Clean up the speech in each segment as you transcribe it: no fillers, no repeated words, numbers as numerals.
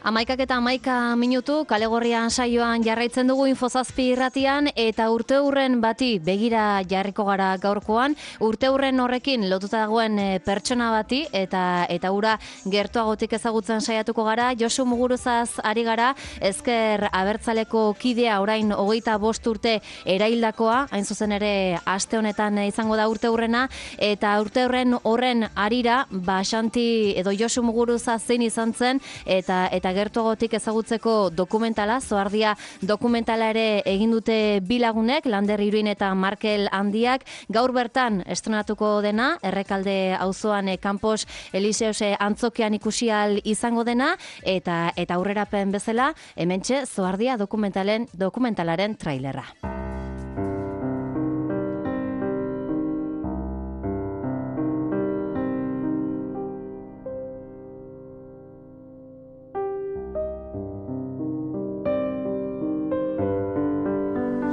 11:11 Kalegorrian saioan jarraitzen dugu Infozazpi irratian eta urteurren bati begira jarriko gara gaurkoan. Urteurren horrekin lotuta dagoen pertsona bati eta ura gertuagotik ezagutzen saiatuko gara. Josu Muguruzaz ari gara, ezker abertzaleko kidea orain 25 urte eraildakoa, hain zuzen ere aste honetan izango da urteurrena, eta urteurren horren arira, Xanti edo Josu Muguruza zein izan zen eta gertuagotik ezagutzeko dokumentala, Zoardia dokumentala ere egin dute bi lagunek, Lander Iruin eta Markel Handiak, gaur bertan estrenatuko dena, Errekalde auzoan Campos Eliseos antzokian ikusial izango dena, eta aurrerapen bezala, hementxe Zoardia dokumentalaren trailerra.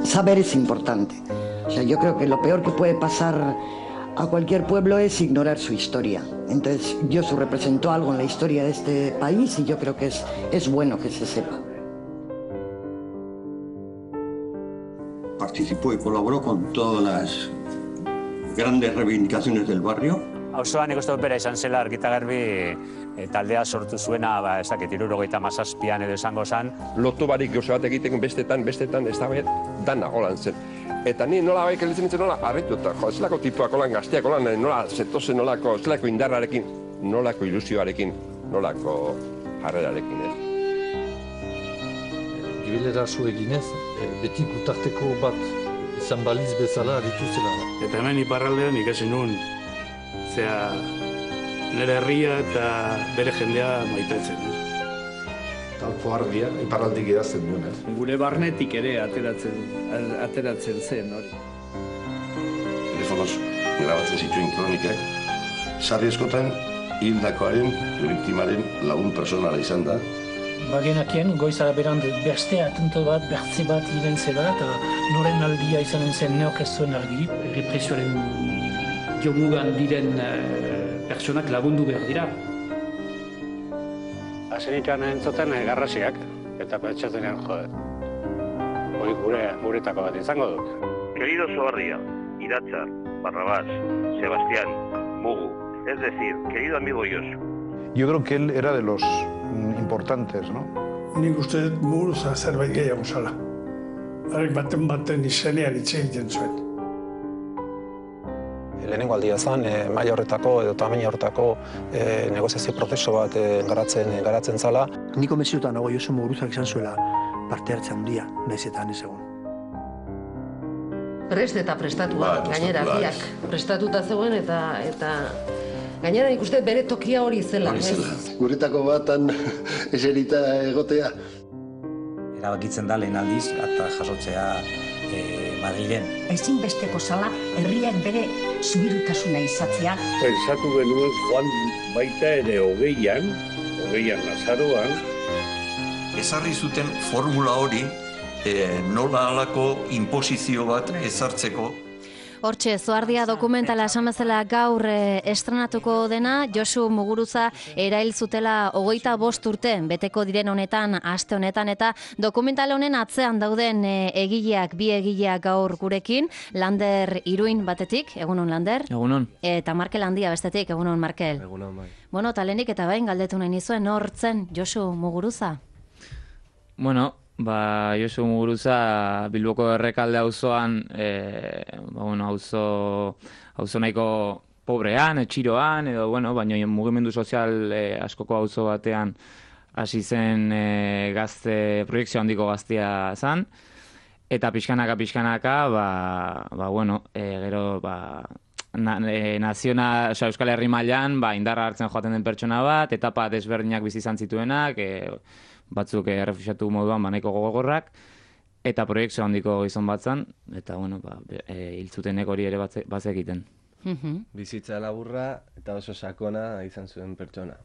Saber es importante. O sea, yo creo que lo peor que puede pasar a cualquier pueblo es ignorar su historia. Entonces, Josu representó algo en la historia de este país y yo creo que es bueno que se sepa. Participó y colaboró con todas las grandes reivindicaciones del barrio. Auzoan ikuste opera izan zela argita garbi taldea sortu zuena, ez dakit 77an edo izango zen. Lotu barik gauza bat egiten bestetan, ez da bet, dana holan zen. Eta ni nola baik elitzen nintzen nola harritu eta zelako tipuak holan gazteak holan nola zetozen nolako, zelako indarrarekin, nolako ilusioarekin, nolako jarrerarekin, ez. Gibelera zu eginez, beti gutarteko bat izan baliz bezala aritu zela. Eta hemen iparraldean ikasi nuen, zera nire herria eta bere jendea maitatzen. Zoardia, iparraldik idazten duen, ez? Gure barnetik ere ateratzen zen hori. Telefonoz grabatzen zituen kronikak, sarri eskotan hildakoaren, biktimaren lagun personala izan da. Bagenakien, goizara berand beste atento bat, bertze bat iren zela, eta noren aldia izanen zen neok ez zuen argi. Represioaren jomugan diren pertsonak lagundu behar dira. Azenikan entzuten garrasiak, eta pentsatzen jode. Hori guretako bat izango dut. Querido Zoardia, Iratzar, Barrabás, Sebastián, Mugu, es decir, querido amigo Josu. Yo creo que él era de los importantes, ¿no? Nik uste dut Muguruza zerbait gehiago zala. Arek baten izenean hitz egiten zuen. Lehenengo aldia zen, maila horretako edo tamaina horretako negoziazio prozesu bat garatzen zala. Niko konbentzituta nago Josu Muguruzak izan zuela parte hartze handia, nahiz eta ez egon. Prest eta prestatua, gainera biak prestatuta zegoen eta gainera nik uste bere tokia hori zela. Guretako batan eserita egotea. Erabakitzen da lehen aldiz eta jasotzea Madrilen. Ezinbesteko zala herriak bere zubirutasuna izatzea. Pensatu genuen joan baita ere hogeian Lazaroan. Ezarri zuten formula hori nola halako inposizio bat ezartzeko. Hortxe, Zoardia dokumentala esan bezala gaur estrenatuko dena, Josu Muguruza erail zutela 25 urte beteko diren honetan, aste honetan, eta dokumental honen atzean dauden bi egileak gaur gurekin, Lander Iruin batetik, egunon Lander? Egunon. Eta Markel Handia bestetik, egunon Markel? Egunon, bai. Bueno, talenik eta bain galdetu nahi nizuen, hortzen Josu Muguruza? Bueno, Josu Muguruza Bilboko Errekalde auzoan, auzo nahiko pobrean, etxiroan, edo, baina mugimendu sozial askoko auzo batean hasi zen proiekzio handiko gaztea zen, eta pixkanaka, gero, Euskal Herri mailan indarra hartzen joaten den pertsona bat, etapa desberdinak bizi izan zituenak, batzuk errefuxiatu moduan nahiko gogorrak, eta proiekzio handiko gizon bat zen, eta hiltzutenek hori ere bazekiten. Bizitza laburra eta oso sakona izan zuen pertsona.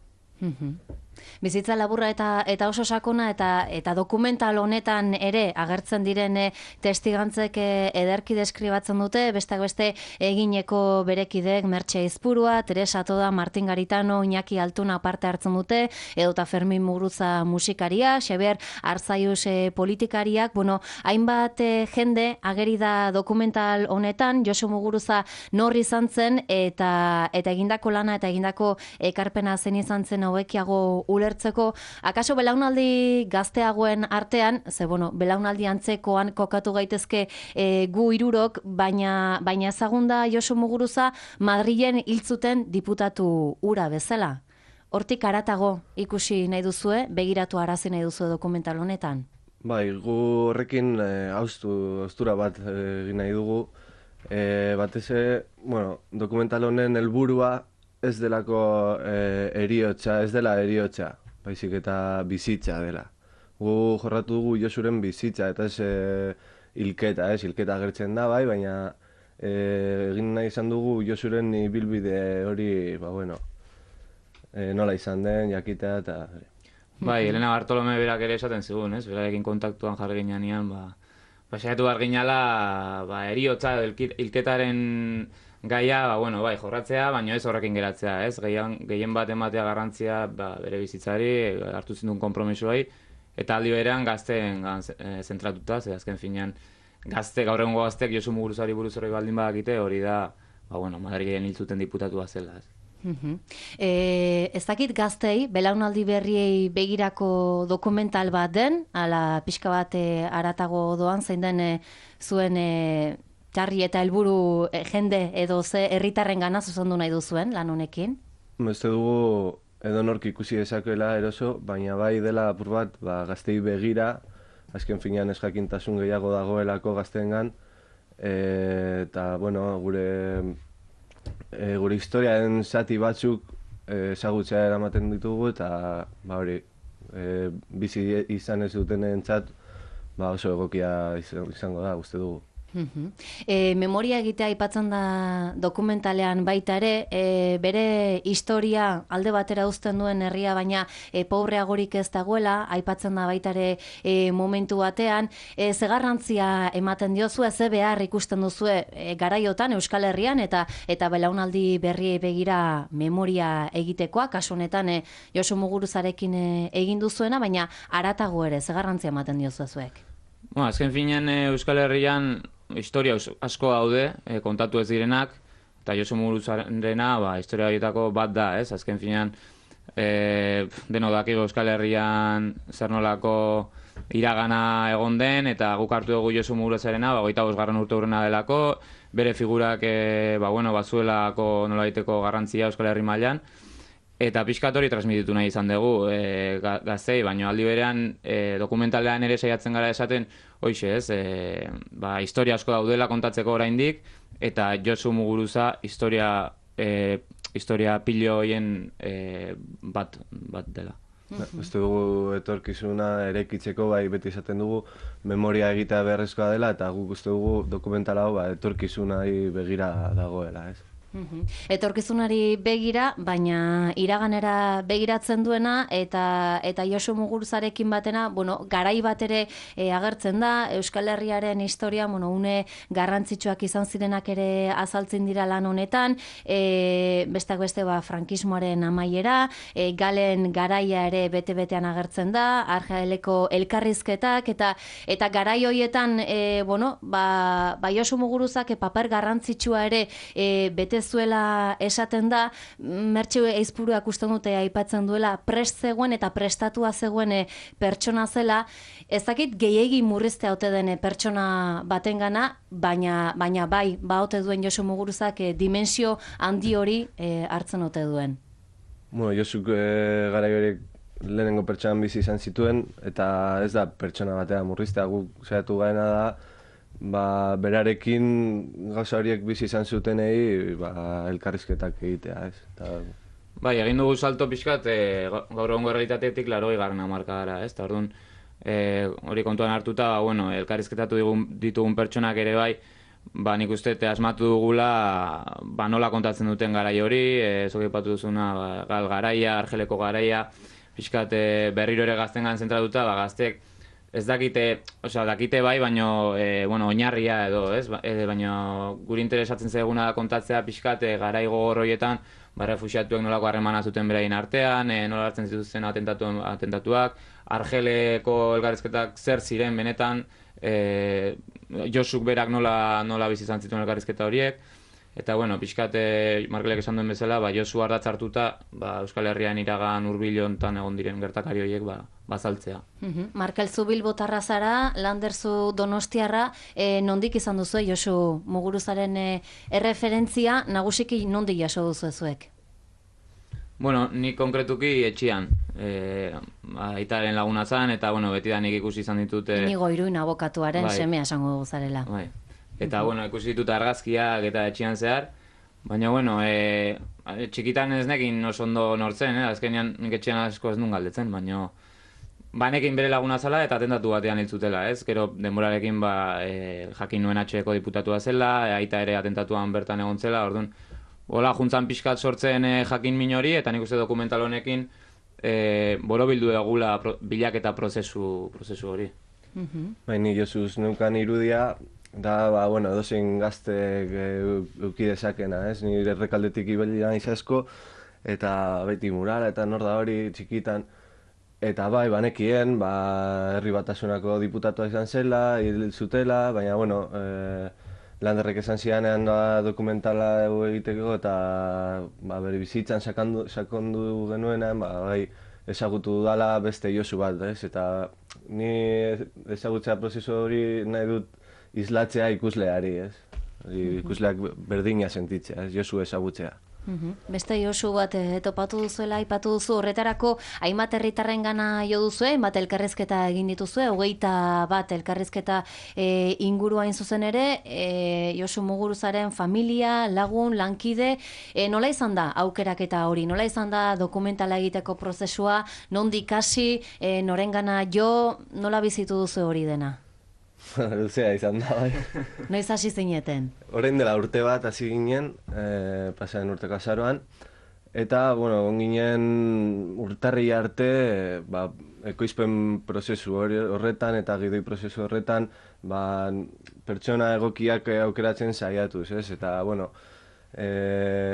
Bizitza laburra eta oso sakona eta dokumental honetan ere agertzen diren testigantzek ederki deskribatzen dute, besteak beste egineko berekideek Mertxe Izpurua, Teresa Toda, Martin Garitano, Iñaki Altuna parte hartzen dute, edota Fermin Muguruza musikaria, Xabier Arzaius politikariak, hainbat jende ageri da dokumental honetan, Josu Muguruza nor izan zen eta egindako lana eta egindako ekarpena zen izan zen hauekiago ulertzeko, akaso belaunaldi gazteagoen artean, belaunaldi antzekoan kokatu gaitezke gu hirurok, baina ezagunda Josu Muguruza Madrilen hil zuten diputatu hura bezala. Hortik haratago ikusi nahi duzue, begiratu arazi nahi duzue dokumental honetan? Bai, gu horrekin haustura bat egin nahi dugu. Batez dokumental honen helburua ez delako eriotza, ez dela eriotza, baizik eta bizitza dela. Gu jorratu dugu Josuren bizitza, eta ez hilketa agertzen da, bai, baina egin nahi izan dugu Josuren ibilbide hori, nola izan den, jakitea, eta... Bai, Elena Bartolome berak ere esaten zigun, ez? Berarekin kontaktuan jarri ginean, saiatu behar ginala, eriotza, hilketaren gaia, jorratzea, baina ez horrekin geratzea, ez? Gehien bat ematea garrantzia bere bizitzari, hartu zinduen konpromisoai, eta aldi berean gazteen zentratuta, ze azken finean gaur egungo gazteek Josu Muguruzari buruz hori baldin badakite, hori da, Madrilen hil zuten diputatua zela, ez? Ez dakit gaztei, belaunaldi berriei begirako dokumental bat den, ala pixka bat haratago doan, zein den zuen txarri eta helburu jende edo ze herritarren gana zuzendu nahi duzuen lan honekin? Beste dugu edonork ikusi dezakeela eroso, baina bai dela apur bat gaztei begira, azken finean ez jakintasun gehiago dagoelako gazteengan, eta gure historiaren zati batzuk ezagutzea eramaten ditugu, eta bizi izan ez dutenentzat oso egokia izango da, uste dugu. Memoria egitea aipatzen da dokumentalean baita ere, bere historia alde batera uzten duen herria, baina pobreagorik ez dagoela, aipatzen da baita ere momentu batean, ze garrantzia ematen diozue, ze behar ikusten duzue garaiotan Euskal Herrian eta belaunaldi berriei begira memoria egitekoa, kasu honetan Josu Muguruzarekin egin duzuena, baina haratago ere, ze garrantzia ematen diozue zuek? Azken finean Euskal Herrian historia asko daude, kontatu ez direnak, eta Josu Muguruzarena historia horietako bat da, ez? Azken finean, deno dakigu Euskal Herrian zer nolako iragana egon den, eta guk hartu dugu Josu Muguruzarena, 25. urte urrena delako, bere figurak bazuelako nolaiteko garrantzia Euskal Herri mailan, eta pixkat hori transmititu nahi izan dugu gaztei, baina aldi berean dokumentalean ere saiatzen gara esaten, hoxe ez, historia asko daudela kontatzeko oraindik, eta Josu Muguruza historia pilo horien bat dela. Uste dugu etorkizuna erekitzeko beti esaten dugu memoria egitea beharrezkoa dela, eta guk uste dugu dokumentala hau etorkizunari begira dagoela, ez? Etorkizunari begira, baina iraganera begiratzen duena eta Josu Muguruzarekin batena, garai bat ere agertzen da, Euskal Herriaren historia, une garrantzitsuak izan zirenak ere azaltzen dira lan honetan, besteak beste frankismoaren amaiera, Galen garaia ere bete-betean agertzen da, Argeleko elkarrizketak, eta garai horietan, Josu Muguruzak paper garrantzitsua ere bete zuela esaten da, Mertxe Izpuruak uste dute aipatzen duela, prest zegoen eta prestatua zegoen pertsona zela, ez dakit gehiegi murriztea ote den pertsona batengana, baina bai, ote duen Josu Muguruzak dimensio handi hori hartzen ote duen. Josuk garai horiek lehenengo pertsonan bizi izan zituen, eta ez da pertsona batea murriztea, guk saiatu gaena da, berarekin gauza horiek bizi izan zutenei elkarrizketak egitea, ez? Bai, egin dugu salto pixkat gaur egungo errealitatetik 80. hamarkadara, ez? Eta orduan hori kontuan hartuta, elkarrizketatu ditugun pertsonak ere bai, ba, nik uste asmatu dugula ba, nola kontatzen duten garai hori, zuk aipatu duzuna gal garaia, Argeleko garaia, pixkat berriro ere gaztengan zentratuta, ba, gaztek ez dakite, dakite bai, baino, oinarria edo, ez? Baina guri interesatzen zaiguna da kontatzea pixkat garai gogor horietan, ba, refuxiatuek nolako harremana zuten beraien artean, nola hartzen zituzten atentatuak, Argeleko elkarrizketak zer ziren benetan, Josuk berak nola bizi izan zituen elkarrizketa horiek, eta, pixkat, Markelek esan duen bezala, Josu ardatz hartuta, Euskal Herrian iragan hurbil hontan egon diren gertakari horiek bazaltzea. Markel, zu Bilbotarra zara, Lander zu Donostiarra, nondik izan duzu, Josu Muguruzaren erreferentzia, nagusiki nondik jaso duzu zuek? Nik konkretuki etxian, aitaren laguna zan, eta beti da nik ikusi izan ditut... Inigo Iruin abokatuaren semea esango dugu zarela. Eta, ikusi ditut argazkiak eta etxian zehar, baina, txikitan ez nekin oso ondo nortzen, azkenean nik etxian asko ez nun galdetzen, baina banekin bere laguna zala eta atentatu batean hiltzutela, ez? Gero denborarekin jakin nuen HEko diputatua zela, aita ere atentatuan bertan egon zela, orduan, hola juntzan pixkat sortzen jakin min hori, eta nik uste dokumental honekin borobildu egula bilaketa prozesu hori. Ni Josuz neukan irudia, da, dozein gaztek eukidezakena, ez? Nire errekaldetik ibelina izasko, eta beti murala eta nor da hori txikitan. Eta banekien, herri batasunako diputatua izan zela, hil zutela, baina, Landerrek esan zianean dokumentala egiteko eta bere bizitzan sakondu genuenean, ezagutu dala beste Josu bat, ez? Eta ni ezagutzea prozesu hori nahi dut islatzea ikusleari, ez? Ikusleak berdina sentitzea, ez? Josu ezagutzea. Beste Josu bat topatu duzuela, aipatu duzu, horretarako hainbat herritarren gana jo duzue, hainbat elkarrizketa egin dituzue, 21 elkarrizketa inguruain zuzen ere, Josu Muguruzaren familia, lagun, lankide, nola izan da aukeraketa hori, nola izan da dokumentala egiteko prozesua, nondik hasi, norengana jo, nola bizitu duzu hori dena? Luzea izan da, bai. Noiz hasi zineten? Orain dela urte bat hasi ginen, pasaren urteko azaroan, eta, ginen urtarri arte, ekoizpen prozesu horretan eta gidoi prozesu horretan, pertsona egokiak aukeratzen saiatuz, ez? Eta,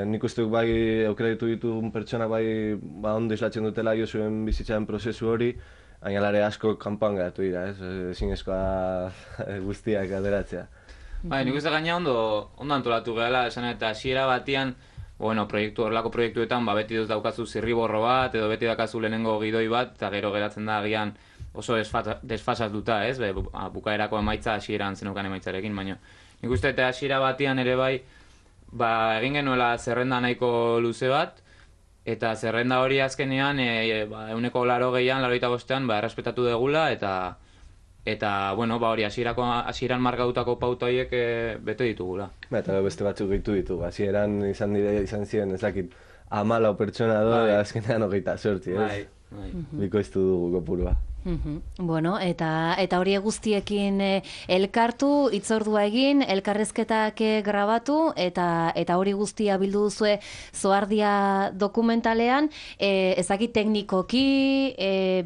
nik uste bai aukeratu dituen pertsona ondo islatzen dutela Josuen bizitzaren prozesu hori, Ainalare asko kanpoan geratu dira, ez? Ezinezkoa guztiak ateratzea. Nik uste gaina ondo antolatu gehala, esan eta hasiera batian, horrelako proiektuetan beti dut daukazu zirriborro bat, edo beti daukazu lehenengo gidoi bat, eta gero geratzen da agian oso desfasatuta, ez? Bukaerako emaitza hasieran zenukan emaitzarekin, baina nik uste eta hasiera batian ere egin genuela zerrenda nahiko luze bat, eta zerrenda hori azkenean, 180an, 85an, errespetatu degula, eta hori hasieran markatutako pauta horiek bete ditugula. Eta beste batzuk gehitu ditugu, hasieran izan ziren, ez dakit, 14 pertsona azkenean 28, ez? Bikoiztu dugu kopurua. Eta hori guztiekin elkartu, hitzordua egin, elkarrezketak grabatu, eta hori guztia bildu duzue Zoardia dokumentalean, ezakit teknikoki,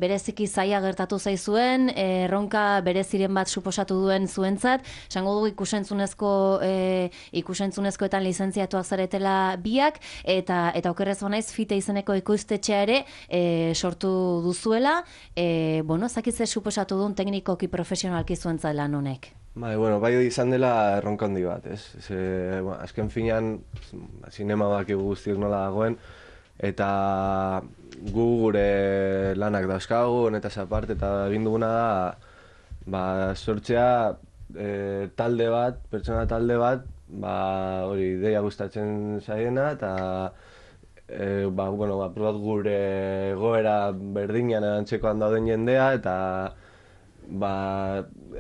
bereziki zaila gertatu zaizuen, erronka bereziren bat suposatu duen zuentzat, esango dugu ikusentzunezkoetan lizentziatuak zaretela biak, eta okerrez banaiz Fite izeneko ekoiztetxea ere sortu duzuela, zakitze suposatu duen teknikoki profesionalki zuentzat lan honek? Bai izan dela erronka handi bat, ez? Azken finean, zinema bakigu guztiok nola dagoen, eta gu gure lanak dauzkagu, honetaz aparte, eta egin duguna da, sortzea talde bat, pertsona talde bat, hori ideia gustatzen zaiena, eta probat gure goera berdinean erantzekoan dauden jendea, eta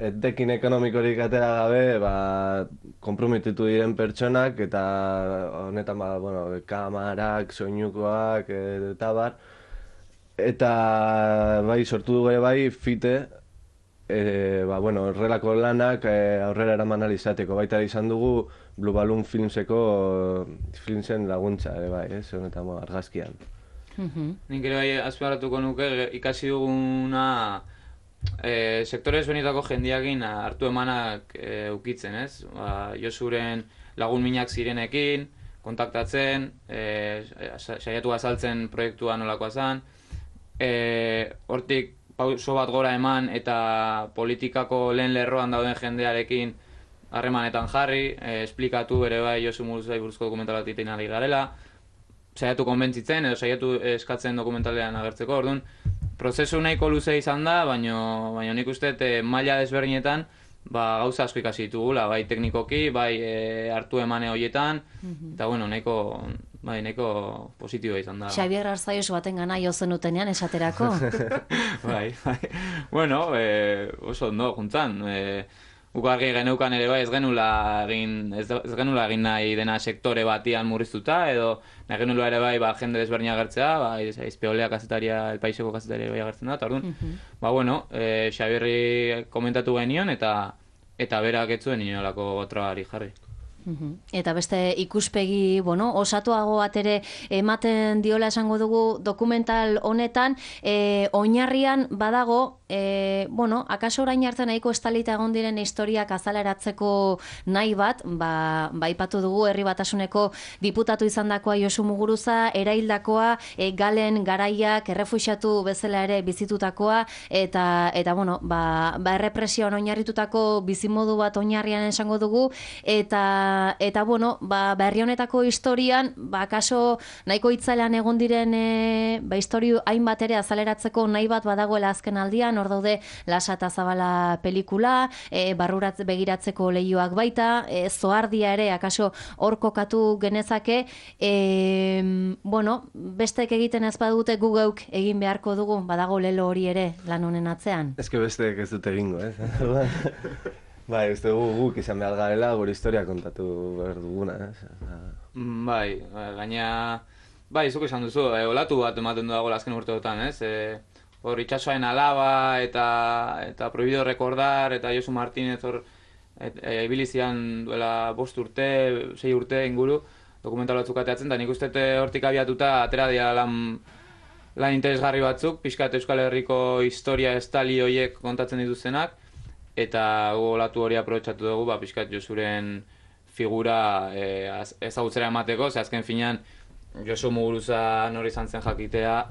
etekin ekonomikorik atera gabe konprometitu diren pertsonak, eta honetan kamarak, soinukoak, eta sortu dugu Fite, horrelako lanak aurrera eraman ahal izateko. Baita izan dugu Blue Balloon filmsen laguntza, bai, honetan argazkian. Nik ere bai azpimarratuko nuke ikasi duguna sektore ezberdinetako jendeekin hartu emanak ukitzen, ez? Josuren lagun minak zirenekin, kontaktatzen, saiatu azaltzen proiektua nolakoa zen, hortik pauso bat gora eman eta politikako lehen lerroan dauden jendearekin harremanetan jarri, esplikatu ere bai Josu Muguruzari buruzko dokumental bat egiten ari garela, saiatu konbentzitzen edo saiatu eskatzen dokumentalean agertzeko, orduan, prozesu nahiko luze izan da, baina nik uste maila desberdinetan gauza asko ikasi ditugula, bai teknikoki, bai hartu emane horietan, eta nahiko positiboa izan da. Xabier Arzaios baten gana jo zenutenean esaterako. Bai. Bueno, oso ondo juntzan. Guk argi geneukan ere bai ez genula egin nahi dena sektore batian murriztuta, edo nahi genula ere bai jende desberdina agertzea, Izpeolea kazetaria, El Paiseko kazetaria bai agertzen da, eta orduan, Xabierri komentatu genion eta berak ez zuen inolako gotrabari jarri. Eta beste ikuspegi, osatuago bat ere ematen diola esango dugu dokumental honetan, oinarrian badago, akaso orain arte nahiko estalita egon diren historiak azaleratzeko nahi bat, aipatu dugu Herri Batasuneko diputatu izandakoa Josu Muguruza, eraildakoa, Galen garaiak errefuxiatu bezala ere bizitutakoa, eta errepresioan oinarritutako bizimodu bat oinarrian esango dugu, eta herri honetako historian, akaso nahiko itzalean egon diren historio hainbat ere azaleratzeko nahi bat badagoela azken aldian, hor daude Lasa eta Zabala pelikula, barrurat begiratzeko lehioak baita, Zoardia ere, akaso hor kokatu genezake, bestek egiten ez badute gu geuk egin beharko dugu, badago lelo hori ere lan honen atzean. Ez que bestek ez dute egingo, ez? Bai, uste guk izan behar garela, gure historia kontatu behar duguna, ez? Bai, gaina... Bai, zuk esan duzu, olatu bat ematen du dago azken urteotan, ez? Hor, itxasoaren alaba eta Prohibido Recordar eta Josu Martínez hor ibilizian duela 5 urte, 6 urte inguru dokumental batzuk ateatzen, eta nik uste hortik abiatuta atera dira lan interesgarri batzuk, pixkat Euskal Herriko historia estali horiek kontatzen dituzenak, eta olatu hori aprobetxatu dugu, pixkat Josuren figura ezagutzera emateko, ze azken finean Josu Muguruza nori izan zen jakitea,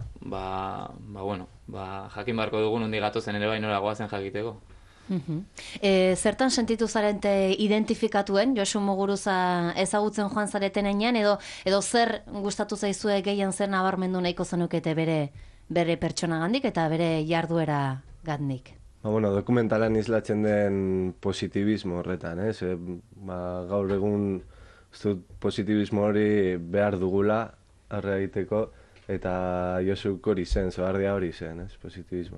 jakin beharko dugu nondi gatozen ere bai nora goazen jakiteko. Zertan sentitu zarente identifikatuen Josu Muguruza ezagutzen joan zareten enean, edo zer gustatu zaizue gehien zer nabarmendu nahiko zenukete bere pertsonagandik eta bere jarduera gandik? Dokumentalan islatzen den positibismo horretan, ez? Gaur egun positibismo hori behar dugula arre egiteko, eta Josuk hori zen, Zoardia hori zen, ez? Positibismo.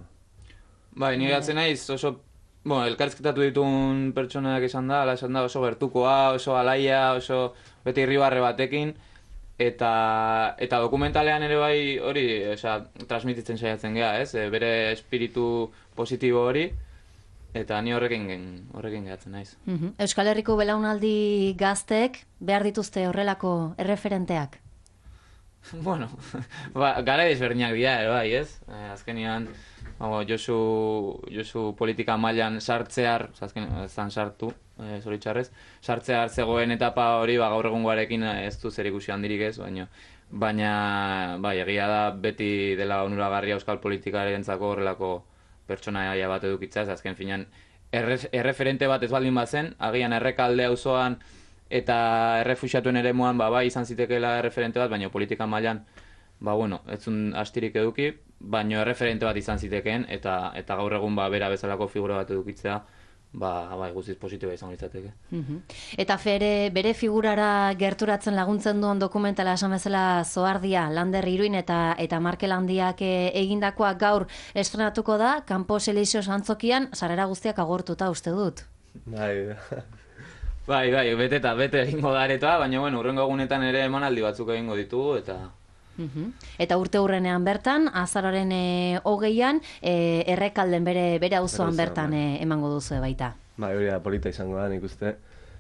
Bai, nire gatzen naiz oso, elkarrizketatu ditun pertsonak esan da oso gertukoa, oso alaia, oso beti irribarre batekin, eta dokumentalean ere bai hori, transmititzen saiatzen geha, ez? Bere espiritu positibo hori, eta ni horrekin gehatzen naiz. Euskal Herriko belaunaldi gazteek behar dituzte horrelako erreferenteak? Gara desberdinak dira, bai, ez? Azkenean, Josu politika mailan sartzear, azkenean sartu, zoritxarrez, sartzear zegoen etapa hori gaur egungoarekin ez du zer ikusi handirik ez, baina egia da beti dela onuragarria euskal politikarentzako horrelako pertsonaia bat edukitzaz, azken finean erreferente bat ez baldin bazen, agian Errekalde auzoan eta errefuxiatuen eremuan bai izan zitekeela erreferente bat, baina politika mailan ez zuen astirik eduki, baina erreferente bat izan zitekeen, eta gaur egun bera bezalako figura bat edukitzea guztiz positiboa izango litzateke. Eta bere figurara gerturatzen laguntzen duen dokumentala esan bezala Zoardia, Lander Iruin eta Markel Handiak egindakoa gaur estrenatuko da, Campos Elíseos antzokian, sarrera guztiak agortuta uste dut. Bai, bete egingo da aretoa, baina hurrengo egunetan ere emanaldi batzuk egingo ditugu, eta Eta urte hurrenean bertan, azararen 20an, Errekalden bere auzoan bertan emango duzu baita. Hori da polita izango da, nik uste,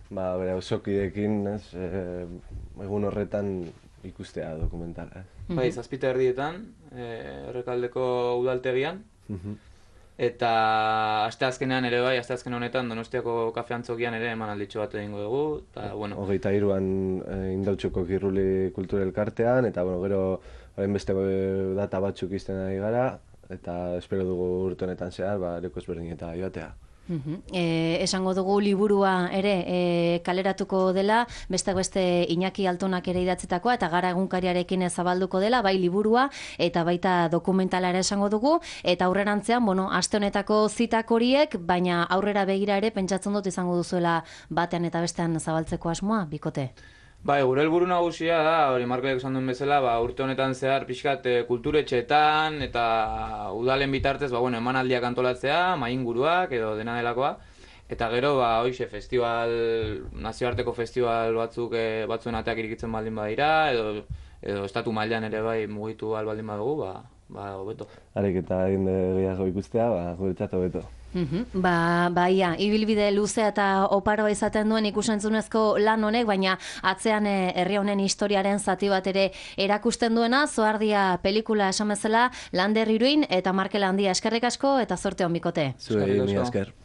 bere auzokideekin, egun horretan ikustea dokumentala. Bai, 7:30 Errekaldeko udaltegian, eta asteazkenean ere bai, asteazken honetan Donostiako kafe antzokian ere emanalditxo bat egingo dugu, eta bueno. 23an Indautxoko Kirruli Kultura Elkartean, eta gero beste data batzuk izten ari gara, eta espero dugu urte honetan zehar, leku ezberdinetara joatea. Esango dugu liburua ere kaleratuko dela, beste Iñaki Altonak ere idatzitakoa eta Gara egunkariarekin zabalduko dela, bai liburua eta baita dokumentala ere esango dugu, eta aurrerantzean, aste honetako zitak horiek, baina aurrera begira ere pentsatzen dut izango duzuela batean eta bestean zabaltzeko asmoa, bikote? Bai, gure helburu nagusia da, hori Markelek esan duen bezala, urte honetan zehar pixkat kulturetxeetan eta udalen bitartez, emanaldiak antolatzea, mainguruak edo dena delakoa. Eta gero, hoxe, nazioarteko festival batzuen ateak irikitzen baldin badira, edo estatu mailan ere bai mugitu baldin badugu, hobeto. Arek eta egin gehiago ikustea, guretzat hobeto. Baia, ibilbide luzea eta oparoa izaten duen ikusentzunezko lan honek, baina atzean herri honen historiaren zati bat ere erakusten duena, Zoardia pelikula esan bezala, Lander Iruin eta Markel Handia eskerrik asko eta zorte on bikote. Zuei, mi esker.